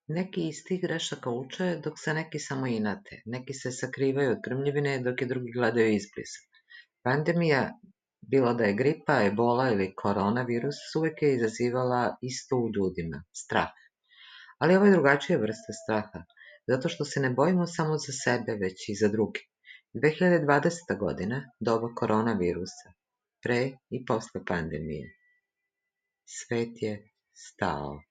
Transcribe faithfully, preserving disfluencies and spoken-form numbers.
Neki iz tih grešaka uče, dok se neki samo inate. Neki se sakrivaju od krmljivine, dok je drugi gledaju izbliza. Pandemija, bilo da je gripa, ebola ili koronavirus, uvek je izazivala isto u ljudima, strah. Ali ovo je drugačija vrsta straha, zato što se ne bojimo samo za sebe, već i za druge. dve hiljade dvadeseta. godina, doba koronavirusa, pre i posle pandemije. Svet je stao.